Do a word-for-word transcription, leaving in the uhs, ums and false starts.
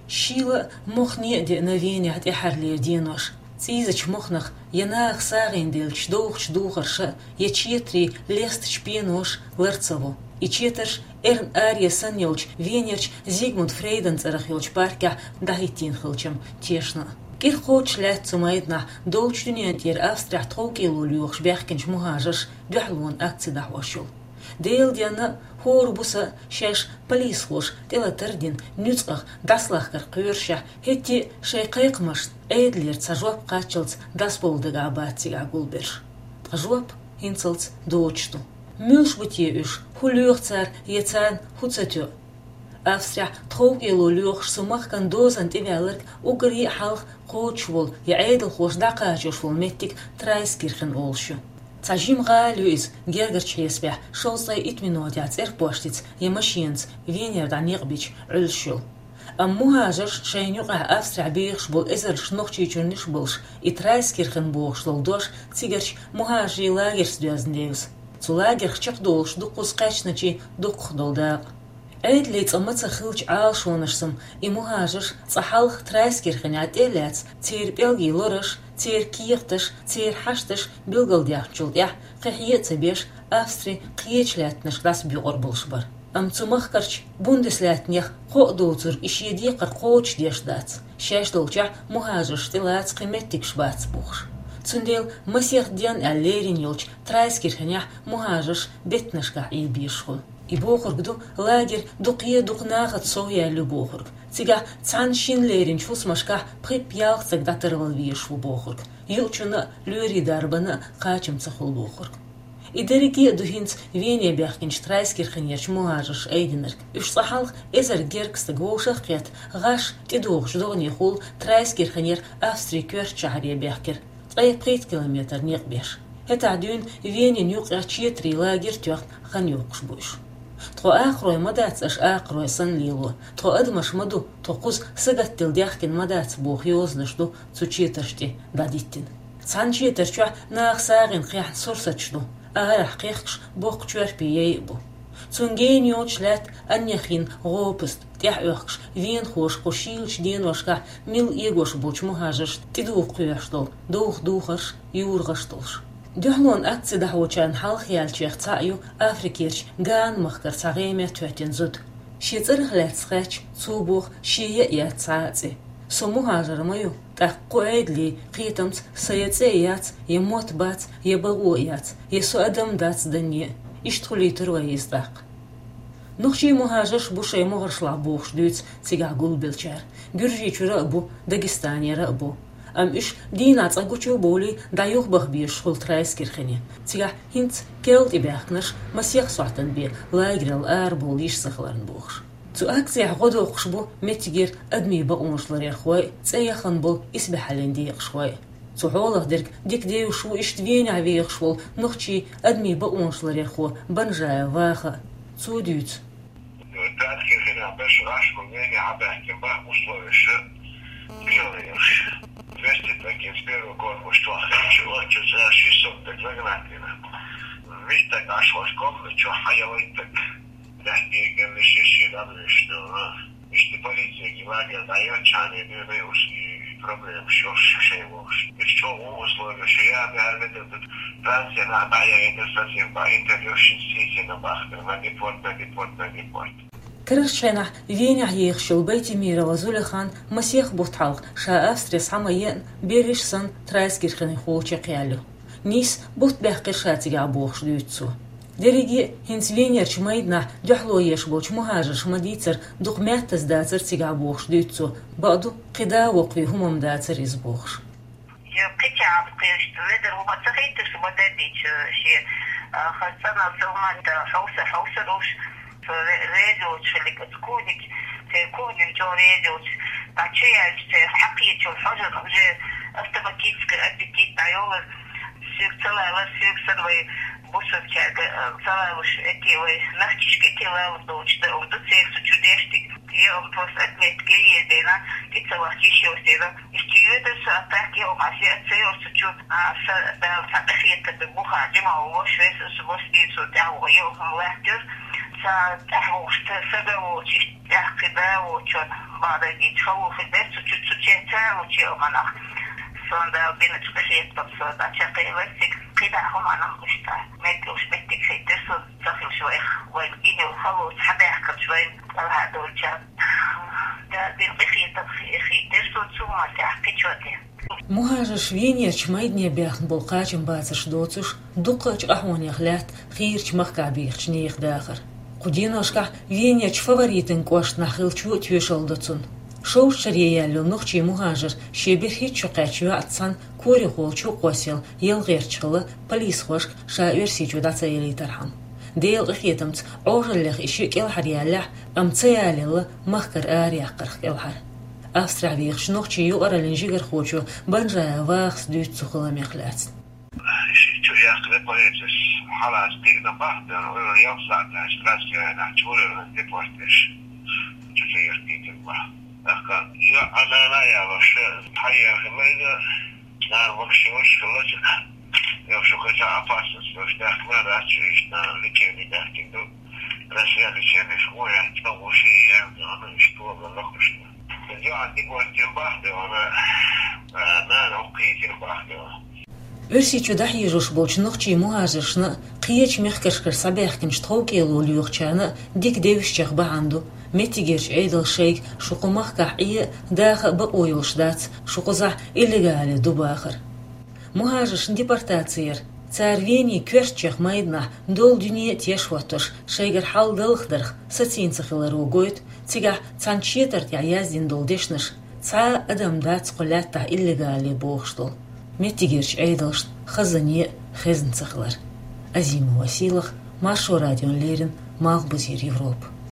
Шийла а, мохне а деана Венехь тӀаьххьарлера денош. ЦӀийзачу мохнах я наха сагӀина деллачу довхачу духарша, я четарийн лестачу пеноша лар ца во. И четарш эрна аре санна йолчу Венерчу Зигмунд Фрейдан цӀарах йолчу паркехь дӀахӀиттийна хилча-м тешна а. КӀира кхочуш лаьтта цу майданахь долчу дуьнен тӀера Австрехь тховкӀело лоьхуш баьхкинчу мухӀажарша дуьхьалонан акци дӀахьош йолу. Делан денна а, хӀора буса а шаьш полисхоша тӀелатар а дина, нуьцкъах дӀасалахкар кхоьрушехь, хӀетте а шайн кхайкхамашна Ӏедалера цхьа жоп кхаччалц дӀасабовла дагахь бац цигахь гулберш. Ткъа жоп хӀинцалц доцуш ду. Муьлш бу те уьш, хӀун лоьху цара я царна хӀун ца тоьу? Австрехь тховкӀело лоьхуш цу махкан дозанна тӀеваьлларг уггаре а хьалха кхочуш волу я Ӏедалхоша дӀакхачош волу меттиг Трайскирхен олуш ю. Цхьа жима гӀала ю иза, гергарчу хьесапехь шовзткъе итт минотехь цӀерпоштица я машенаца Венера дӀа некъ бича Ӏуьллуш йолу. Амма мухӀажарш, шайна юкъахь Австрехь бехаш болу эзарнаш Нохчийчуьрнаш а болуш, и Трайскирхен бохуш долу дош цигарчу мухӀажарийн лагерца доьзна девза. Цу лагерх чекхдолуш дуккхуза кхаьчначийн дуккхах долу дакъа. Ӏедалан цӀа мацах хиллачу Ӏалашонашца-м и мухӀажарш цкъа хьалха Трайскирхенехь тӀе а лаьцна, церан пӀелгийн лораш, церан кехаташ, церан хьашташ билгалдаьхначул тӀаьхьа кхин хье а ца беш, Австри кхечу лаьттанашка дӀасабоькъур болуш бара. Амма цу махкарчу Бундеслаьттанех кхоъ доцург и шен декхар кхочушдеш дац, шаьш долчохь мухӀажаршна тӀелаца кхин меттигаш бац бохуш. Цундела масех ден аьлла лерина йолчу Трайскирхенехь мухӀажарш беттанашкахь Ӏийла безаш хуьлу. И бохург ду, лагерь дукха е дукха нахаца сов яьлла ю бохург. Цигахь цхьана-шинна леринчу хӀусамашкахь пхи-ялх стаг дӀатарвала везаш ву бохург. Юучунна а, лоьрийн дарбанна а кхачам ца хуьлу бохург. И дерриге а ду хӀинца Вене баьхкинчу Трайскирхенерчу мухӀажарша айдинарг. Уьш цкъа хьалха эзар гергга стаг вовшах а кхетта, гӀаш тӀедогӀучу догӀанехула Трайскирхенера Австрин коьртачу шахьаре баьхкира, ткъе пхийтта километр некъ беш. ХӀетахь дуьйна Венин юккъехь четарийн лагерь тоьхна хан йоккхуш бу уьш. Тхо акхарой ма дац аша акхарой санна лело, тхо адамаш ма ду, тхо кхуза сагатделла даьхкина ма дац боху йозанаш ду цу четарш тӀе дӀадиттина. Цхьана четар чохь наха сагӀина кхехьна сурсаташ ду, арахь кхехкаш боккха чорпе яй а бу. Цунна гена йоцуш лаьтта аннех йина гӀопаст, тӀаьхьа оьхкуш венахоша кху шийлачу деношкахь милла эгош болчу мухӀажаршна тӀедуха кхоьхьуш долу довха духарш, юрагӀаш долуш. Дуьхьалонан акци дӀахьочарна хьалха яьллачех цхьаъ ю Африкерчу Гана махкара цхьа гӀеме тоьттина зуда. Шен цӀарах лаьцна хаьттича, цо боху, шен ян а яц цхьа а цӀе. Со мухӀажар ма ю, тӀаккха кху Ӏедалан кхетамца сан я цӀе а яц, я мотт бац, я бакъо а яц, я со адам дац данне а. Иштта хуьлуьйтура вай иза тӀаккха. Нохчийн мухӀажарш бу шайн могӀаршлахь бохуш дуьйцу цигахь гулбеллачара. Гуьржийчуьра а бу, Дагестанера а бу. Амма уьш дийнахь цкъа гучу а бовлий, дӀа юхабаха безаш хуьлу Трайскирхене. Цигахь хӀинца керла тӀебаьхкинарш масех сохьтан бен лагерал арабовла йиш ца хиларна бохуш. Цу акцехь гӀо доккхуш бу меттигера адамийн бакъонаш ларъярхой а, цӀе яхана болу исбаьхьаллин декъашхой а. Цу хьолах дерг дика девзаш ву иштта Венехь вехаш волу нохчийн адамийн бакъонаш ларъярхо Банжаев Ваха а. Цо дуьйцу. Трайскирхенехь берш гӀаш бу, Венехь а баьхкина баха, условияш тяжелые уьш. Двести стаг с первого корпуса чохь хилча, оццу цара шестьсот стаг загнать дина. Вист стаг Ӏаш волчу комнате чохь хьан ялайттаг. Лаьттан геннаш ши-ши дӀабуьйсуш ду. Иштта полицега лагерь дӀайоьллачхьана дуьйна уьш и проблемаш йолуш шайн вовшашка. Уьш чӀогӀа условияш я, мехьар метр ду, Францина дӀаяйна сацийна бан интервьюш сийсина бахкар, на депорт, на депорт, на депорт. Карарчу хенахь Венехь ехаш йолу Байтимирова Зулихан масех бутт хьалха, ша Австре схьа ма еана, берриш санна Трайскирхенехула чекхъяьлла ю. Нийсса бутт баьккхира ша цигахь бохуш дуьйцу цо. Дерриге а хӀинца Венерчу майданахь дуьхьало еш болчу мухӀажарша ма дийцара, дукха маьттаза дацара цигахь бохуш дуьйцу цо, бакъду, кхин да а воккхаве хӀума-м дацара иза бохуш. Я кхечахьа кхераш ледар ву ма ца хийташ, ма дердича шен, а, хаза цӀанал сел ма да хьовса, хьовса руш, ре-, реза йоцуш хилиг, аса кугниг, церан кугниг чӀогӀа реза йоцуш, дӀа чу яьлча, церан хьакхечул хьожа уже автоматически аппетит дӀайолар, соьга ца лалар, соьга санна вай бусалбачаьрга, а, ца лалуш, эти вай нохчашка эти лалур доцуш да, ду церан цу чу деш дерг. Я, он просто отметка еза дена, кхин ца вахча йиш йоцу дела. Иштта йоьдур со, а так я, он ас я ца йоцу чу, а, са Дала цхьа къахетар ду, буха жима волуш вес, аса бос бийр со тӀаьхьа ваха, я, он лаьттар. Ца тӀаьхьа вовшта сага волчу, тӀаьхьа кхин да волчун, бадаргийчу халохи бер цу чу, цу чеца лучу а манах. Сон Дала бинчу къинхетам со дӀа чекхъелла цига кхидӀа хӀуманах гуш тӀа. Меттигаш меттиг хӀиттира сон ца хилча вайх, вайн гинел халоца хьабаьхкарчу вайн кӀелхьардолчарна. Дала бин къинхетам хи-, хӀиттира сон цу ма тӀехь кхичо тӀе. Мухажарш Венерчу майдане баьхна болу кхачам бацарш доцуш, дуккхачу къахьонех лаьтта хийрачу махкахь бехачу нехан дахар. Кху деношкахь Венерчу Фаворитан кӀоштан нах хилча а тоьшалла до цунна. Шовзткъа шаре яьлла йолу нохчийн мухажар шен берхӀитта шо кхаьчна йоӀца цхьаьна корехула чу а кхоссаелла ялх гӀерташ хилла полисхошка ша Оьрсийчу дӀа ца ялийтархьама. Делан къинхетамца Ӏожаллех и шиъ кӀелхьаръяьллехь, амма ца ялаелла махкара араяьккхарх кӀелхьара. Австрехь вехачу нохчийн юкъараллин жигархочо Банжаев Вахас дуьйцу цу хиламех лаьцна. Ши чу яхкале полицис хьалаца кхиъна бахьана, вуьйр ялх сахьт аьлча, Россияна чуьра депортеш. Чу чу яхкийтина бахьана. ТӀаккха йоӀ а, нана а ялош, хьаерхи майда, нана вахаш йолуш хилла чуьра. Йо, шу кхеча опасность йолуш даьхкина дац, шу иштта лечение даьхкина ду. Россия лечение шу гӀо яц, ца гӀо ши яьлла, ана иштта вала лохушна. ЙоӀ дика вац бахьана, нана хӀокху кхийти бахьана. Оьрсийчу дӀахьежош болчу нохчийн мухажаршна а, кхечу мехкашкара схьабаьхкинчу тховкӀело лоьхучарна а дика девзачех бахьана ду, меттигерчу Ӏедалша шайга шу кху махкахь Ӏе а, даха а бакъо йолуш дац, шу кхузахь иллегале ду бахар. Мухажаршна депортаци яр, цара Венин коьртачех майданахь долу дуьне а теш хӀоттош, шайгара хьал далхадарх сацийна ца хиларо гойту, цигахь цхьана четар тӀехь яздина долу дешнаш, цхьа а адам дац кху лаьттахь иллегале бохуш долу. Меттигерчу Ӏедалшна хазане а хезна ца хилар. Азимова Сийлаха, Маршо радиона леррина, Малхбузера Европа.